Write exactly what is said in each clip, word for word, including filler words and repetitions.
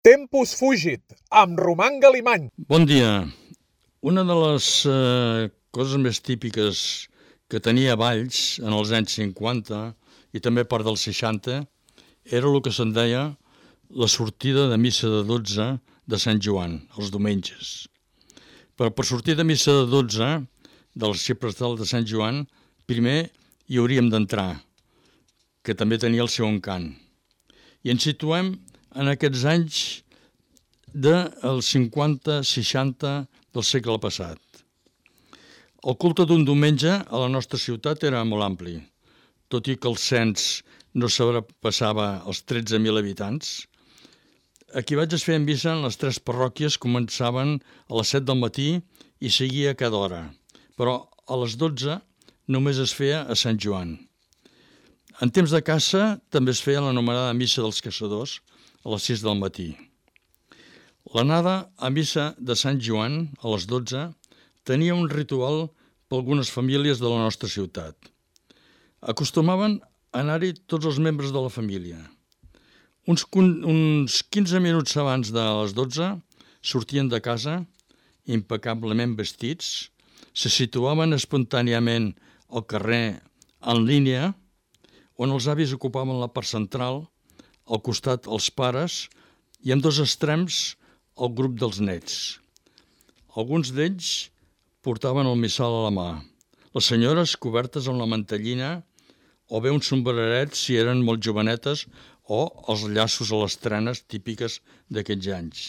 Tempus fugit, amb Roman Galimany. Bon dia. Una de les eh, coses més típiques que tenia Valls en els anys cinquanta i també part dels seixanta era el que se'n deia la sortida de missa de dotze de Sant Joan, els diumenges. Però per sortir de missa de dotze de l'arxiprestal de Sant Joan, primer hi hauríem d'entrar, que també tenia el seu encant. I ens situem en aquests anys dels cinquanta seixanta del segle passat. El culte d'un diumenge a la nostra ciutat era molt ampli. Tot i que el cens no sobrepassava els tretze mil habitants, aquí vaig es feien missa en les tres parròquies, començaven a les set del matí i seguia a cada hora, però a les dotze només es feia a Sant Joan. En temps de caça també es feia l'anomenada missa dels caçadors a les sis del matí. L'anada a missa de Sant Joan, a les dotze, tenia un ritual per algunes famílies de la nostra ciutat. Acostumaven a anar-hi tots els membres de la família. Uns, uns quinze minuts abans de les dotze sortien de casa, impecablement vestits, se situaven espontàniament al carrer en línia, on els avis ocupaven la part central, al costat els pares i en dos extrems el grup dels nets. Alguns d'ells portaven el missal a la mà, les senyores cobertes amb la mantellina o bé un sombreret si eren molt jovenetes o els llaços a les trenes típiques d'aquells anys.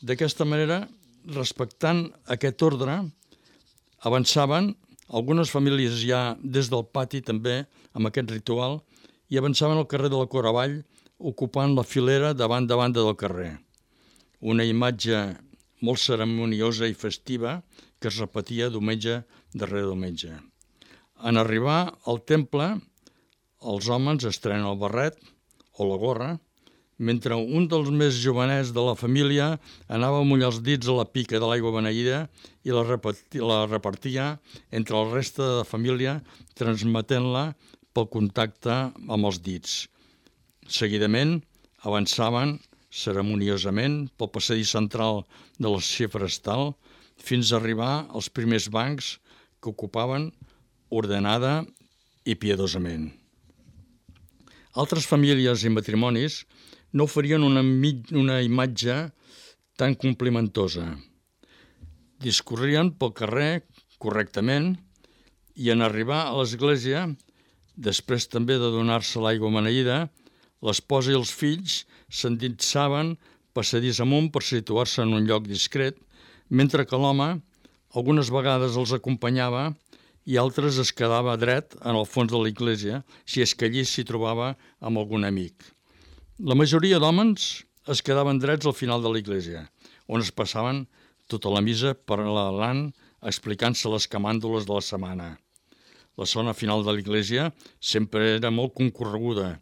D'aquesta manera, respectant aquest ordre, avançaven, algunes famílies ja des del pati també amb aquest ritual, i avançaven al carrer de la Coravall ocupant la filera davant de banda del carrer. Una imatge molt ceremoniosa i festiva que es repetia diumenge darrere diumenge. En arribar al temple, els homes estrenen el barret o la gorra, mentre un dels més jovenets de la família anava a mullar els dits a la pica de l'aigua beneïda i la repartia, la repartia entre el reste de la família, transmetent-la pel contacte amb els dits. Seguidament avançaven ceremoniosament pel passadís central de l'arxiprestal fins a arribar als primers bancs que ocupaven ordenada i piadosament. Altres famílies i matrimonis no oferien una, una imatge tan complimentosa. Discorrien pel carrer correctament i en arribar a l'església, després també de donar-se l'aigua beneïda, l'esposa i els fills s'endinsaven passadís amunt per situar-se en un lloc discret, mentre que l'home algunes vegades els acompanyava i altres es quedava dret en el fons de l'església, si és que allí s'hi trobava amb algun amic. La majoria d'homes es quedaven drets al final de l'església, on es passaven tota la missa parlant, explicant-se les camàndules de la setmana. La zona final de l'església sempre era molt concorreguda.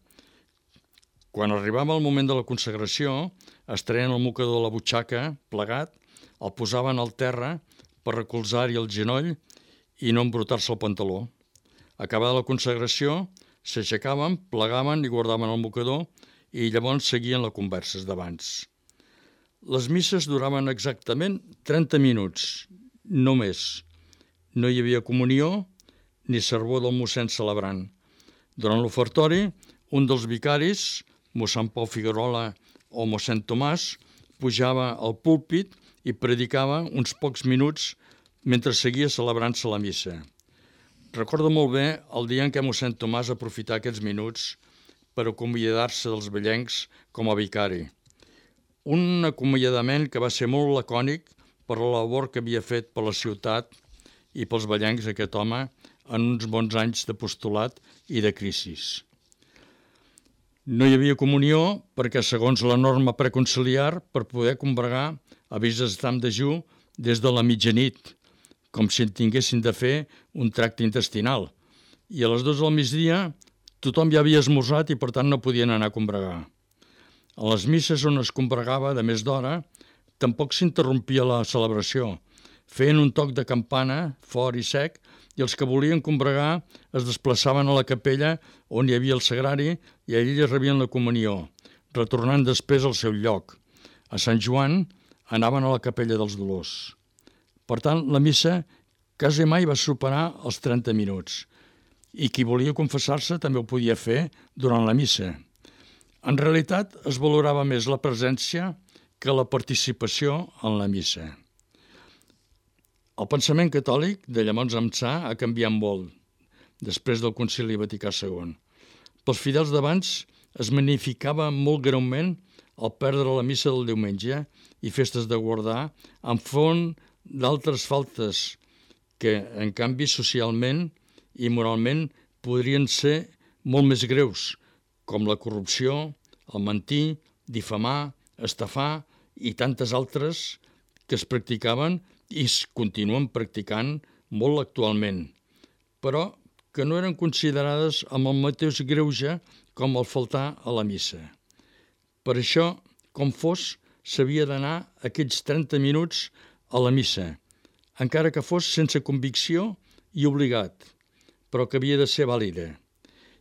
Quan arribava el moment de la consagració, es treien el mocador de la butxaca, plegat, el posaven al terra per recolzar-hi el genoll i no embrutar-se el pantaló. Acabada la consagració, s'aixecaven, plegaven i guardaven el mocador i llavors seguien la conversa d'abans. Les misses duraven exactament trenta minuts, no més. No hi havia comunió ni servó del mossèn celebrant. Durant l'ofertori, un dels vicaris, mossèn Pau Figuerola o mossèn Tomàs, pujava al púlpit i predicava uns pocs minuts mentre seguia celebrant-se la missa. Recordo molt bé el dia en què mossèn Tomàs aprofità aquests minuts per acomiadar-se dels vellencs com a vicari. Un acomiadament que va ser molt lacònic per la labor que havia fet per la ciutat i pels vellencs aquest home en uns bons anys d'apostolat i de crisis. No hi havia comunió perquè, segons la norma preconciliar, per poder combregar havies d'estar en dejú des de la mitjanit, com si en tinguessin de fer un tracte intestinal. I a les dues del migdia tothom ja havia esmorzat i per tant no podien anar a combregar. A les misses on es combregava de més d'hora tampoc s'interrompia la celebració. Feien un toc de campana fort i sec i els que volien combregar es desplaçaven a la capella on hi havia el sagrari i allí rebien la comunió, retornant després al seu lloc, A Sant Joan anaven a la Capella dels Dolors. Per tant, la missa quasi mai va superar els trenta minuts i qui volia confessar-se també ho podia fer durant la missa. En realitat es valorava més la presència que la participació en la missa. El pensament catòlic de llavors ençà ha canviat molt després del Concili Vaticà segon. Pels fidels d'abans es magnificava molt greument el perdre la missa del diumenge i festes de guardar enfront d'altres faltes que, en canvi, socialment i moralment podrien ser molt més greus, com la corrupció, el mentir, difamar, estafar i tantes altres que es practicaven i es continuen practicant molt actualment, però que no eren considerades amb el mateix greuge com el faltar a la missa. Per això, com fos, s'havia d'anar aquells trenta minuts a la missa, encara que fos sense convicció i obligat, però que havia de ser vàlida.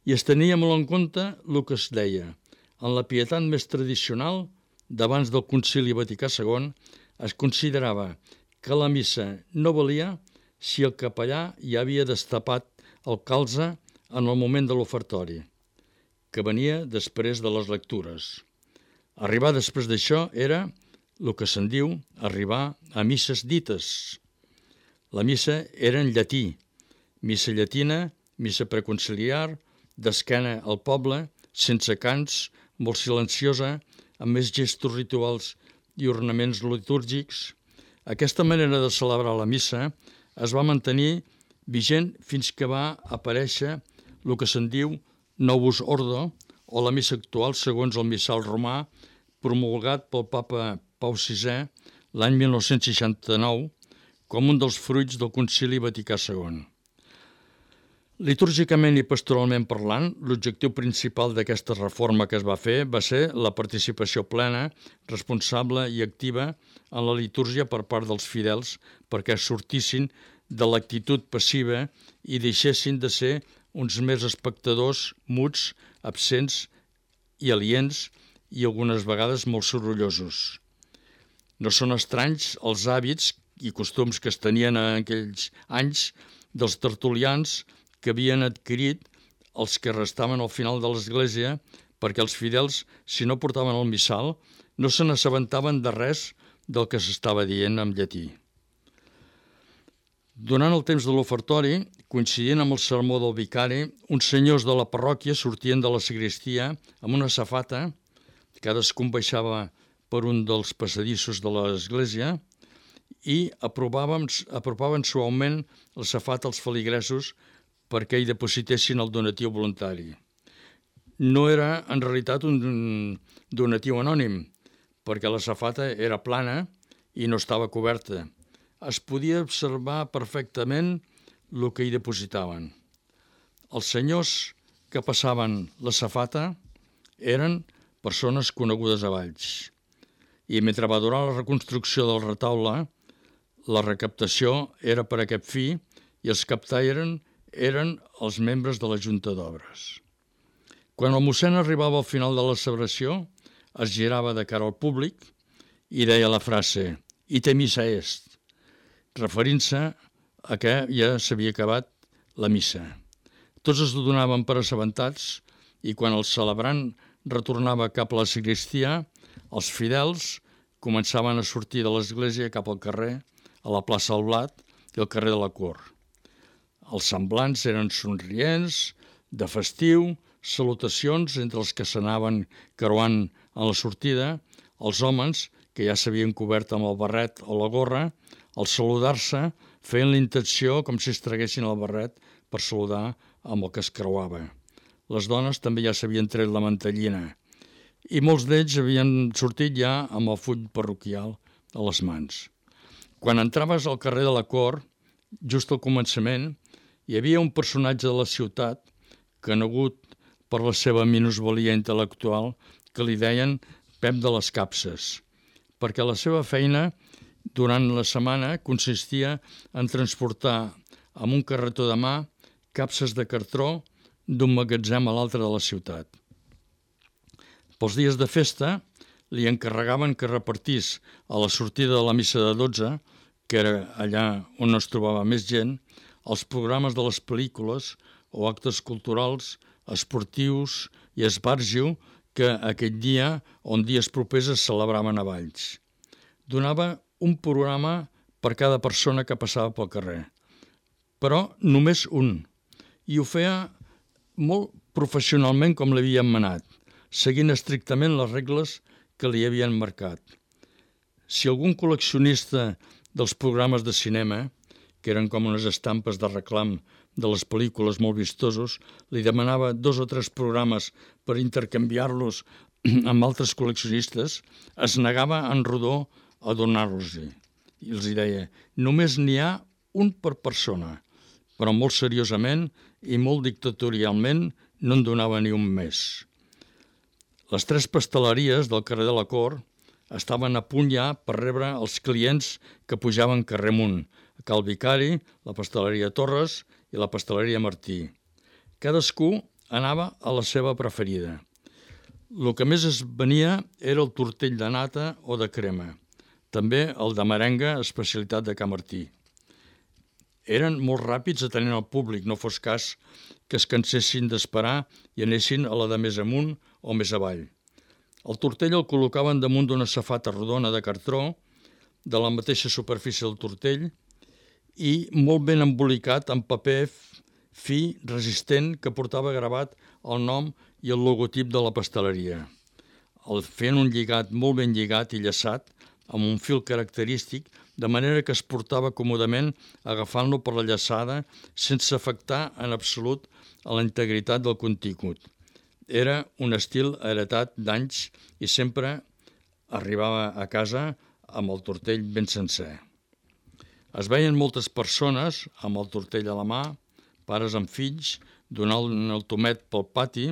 I es tenia molt en compte el que es deia. En la pietat més tradicional, d'abans del Concili Vaticà segon, es considerava que la missa no valia si el capellà ja havia destapat el calze en el moment de l'ofertori, que venia després de les lectures. Arribar després d'això era el que se'n diu arribar a misses dites. La missa era en llatí, missa llatina, missa preconciliar, d'esquena al poble, sense cants, molt silenciosa, amb més gestos rituals i ornaments litúrgics. Aquesta manera de celebrar la missa es va mantenir vigent fins que va aparèixer el que se'n diu Novus Ordo, o la missa actual segons el missal romà, promulgat pel papa Pau sisè l'any mil nou-cents seixanta-nou com un dels fruits del Concili Vaticà segon. Litúrgicament i pastoralment parlant, l'objectiu principal d'aquesta reforma que es va fer va ser la participació plena, responsable i activa en la litúrgia per part dels fidels perquè sortissin de l'actitud passiva i deixessin de ser uns més espectadors muts, absents i aliens i algunes vegades molt sorollosos. No són estranys els hàbits i costums que es tenien en aquells anys dels tertulians que havien adquirit els que restaven al final de l'església perquè els fidels, si no portaven el missal, no se n'assabentaven de res del que s'estava dient en llatí. Durant el temps de l'ofertori, coincidint amb el sermó del vicari, uns senyors de la parròquia sortien de la sagristia amb una safata, cadascun baixava per un dels passadissos de l'església i apropaven, apropaven suaument la safata als feligresos perquè hi depositessin el donatiu voluntari. No era en realitat un donatiu anònim, perquè la safata era plana i no estava coberta. Es podia observar perfectament el que hi depositaven. Els senyors que passaven la safata eren persones conegudes a Valls. I mentre va durar la reconstrucció del retaule, la recaptació era per aquest fi i els captaires eren els membres de la Junta d'Obres. Quan el mossèn arribava al final de la celebració, es girava de cara al públic i deia la frase «Ite missa est», referint-se a que ja s'havia acabat la missa. Tots es donaven per assabentats i quan el celebrant retornava cap a la sagristia, els fidels començaven a sortir de l'església cap al carrer, a la plaça del Blat i al carrer de la Cort. Els semblants eren somrients, de festiu, salutacions entre els que s'anaven creuant a la sortida, els homes, que ja s'havien cobert amb el barret o la gorra, al saludar-se feien la intenció com si es traguessin el barret per saludar amb el que es creuava. Les dones també ja s'havien tret la mantellina i molts d'ells havien sortit ja amb el full parroquial a les mans. Quan entraves al carrer de la Cort, just al començament, hi havia un personatge de la ciutat, conegut per la seva minusvalia intel·lectual, que li deien Pep de les Capses, perquè la seva feina durant la setmana consistia en transportar amb un carretó de mà capses de cartró d'un magatzem a l'altre de la ciutat. Pels dies de festa, li encarregaven que repartís a la sortida de la missa de dotze, que era allà on es trobava més gent, els programes de les pel·lícules o actes culturals, esportius i esbarjo que aquell dia o en dies propers es celebraven a Valls. Donava un programa per cada persona que passava pel carrer, però només un, i ho feia molt professionalment com l'havien manat, seguint estrictament les regles que li havien marcat. Si algun col·leccionista dels programes de cinema, que eren com unes estampes de reclam de les pel·lícules molt vistosos, li demanava dos o tres programes per intercanviar-los amb altres col·leccionistes, es negava en rodó a donar-los-hi. I els deia, només n'hi ha un per persona, però molt seriosament i molt dictatorialment no en donava ni un més. Les tres pasteleries del carrer de la Cort estaven a punt ja per rebre els clients que pujaven carrer amunt, a Cal Vicari, la pasteleria Torres i la pasteleria Martí. Cadascú anava a la seva preferida. El que més es venia era el tortell de nata o de crema, també el de merenga, especialitat de Ca Martí. Eren molt ràpids atenent al públic, no fos cas que es cansessin d'esperar i anessin a la de més amunt o més avall. El tortell el col·locaven damunt d'una safata rodona de cartró, de la mateixa superfície del tortell, i molt ben embolicat amb paper fi, resistent, que portava gravat el nom i el logotip de la pasteleria. El feien un lligat molt ben lligat i llaçat, amb un fil característic, de manera que es portava còmodament agafant-lo per la llaçada sense afectar en absolut a la integritat del contingut. Era un estil heretat d'anys i sempre arribava a casa amb el tortell ben sencer. Es veien moltes persones amb el tortell a la mà, pares amb fills, donant el tomet pel pati,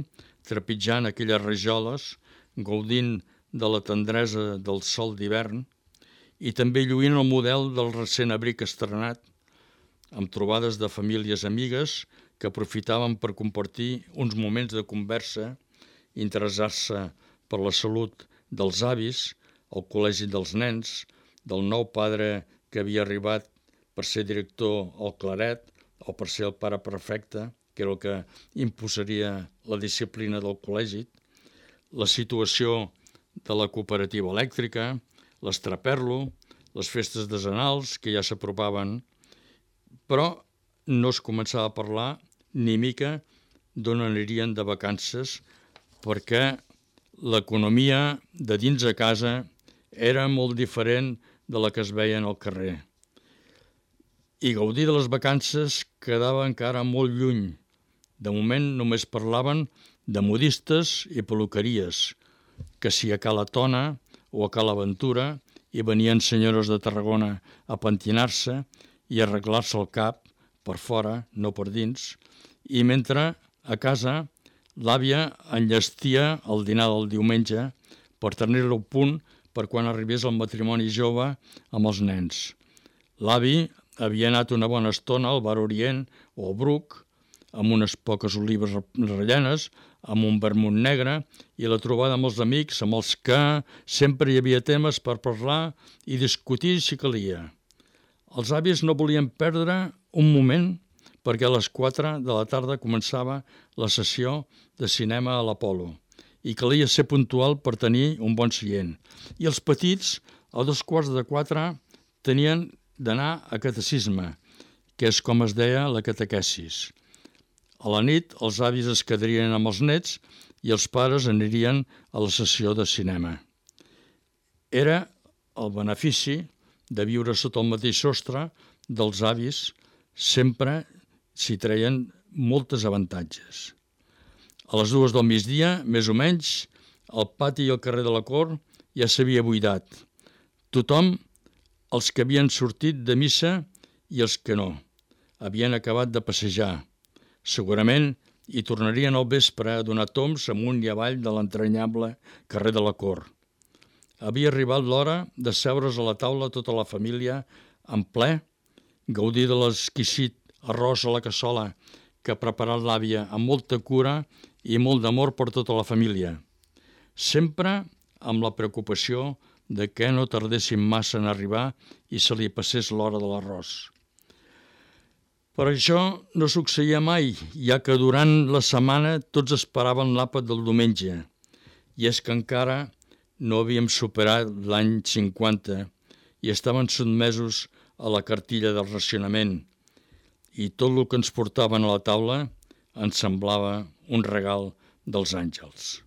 trepitjant aquelles rajoles, gaudint de la tendresa del sol d'hivern i també lluint el model del recent abric estrenat, amb trobades de famílies amigues que aprofitaven per compartir uns moments de conversa, interessar-se per la salut dels avis, el col·legi dels nens, del nou padre que havia arribat per ser director al Claret o per ser el pare prefecte, que era el que imposaria la disciplina del col·legi, la situació de la cooperativa elèctrica, l'estraperlo, les festes desenals que ja s'apropaven, però no es començava a parlar ni mica d'on anirien de vacances perquè l'economia de dins a casa era molt diferent de la que es veia al carrer. I gaudir de les vacances quedava encara molt lluny. De moment només parlaven de modistes i peluqueries, que si a Cala Tona o a Cala Ventura hi venien senyores de Tarragona a pentinar-se i arreglar-se el cap per fora, no per dins, i mentre a casa l'àvia enllestia el dinar del diumenge per tenir-lo a punt per quan arribés el matrimoni jove amb els nens. L'avi havia anat una bona estona al Bar Orient o al Bruc, amb unes poques olives rellenes, amb un vermut negre, i la trobada amb els amics, amb els que sempre hi havia temes per parlar i discutir si calia. Els avis no volien perdre un moment perquè a les quatre de la tarda començava la sessió de cinema a l'Apolo i calia ser puntual per tenir un bon seient. I els petits, a dos quarts de quatre, tenien d'anar a catecisme, que és com es deia la catequesis. A la nit els avis es quedarien amb els nets i els pares anirien a la sessió de cinema. Era el benefici de viure sota el mateix sostre dels avis, sempre s'hi treien moltes avantatges. A les dues del migdia, més o menys, el pati i el carrer de la Cort ja s'havia buidat. Tothom, els que havien sortit de missa i els que no, havien acabat de passejar. Segurament hi tornarien al vespre a donar tombs amunt i avall de l'entranyable carrer de la Cort. Havia arribat l'hora de seure's a la taula tota la família en ple, gaudir de l'exquisit arròs a la cassola que ha preparat l'àvia amb molta cura i molt d'amor per tota la família. Sempre amb la preocupació de que no tardessin massa en arribar i se li passés l'hora de l'arròs. Però això no succeïa mai, ja que durant la setmana tots esperaven l'àpat del diumenge, i és que encara no havíem superat l'any cinquanta i estaven sotmesos a la cartilla del racionament, i tot el que ens portaven a la taula ens semblava un regal dels àngels.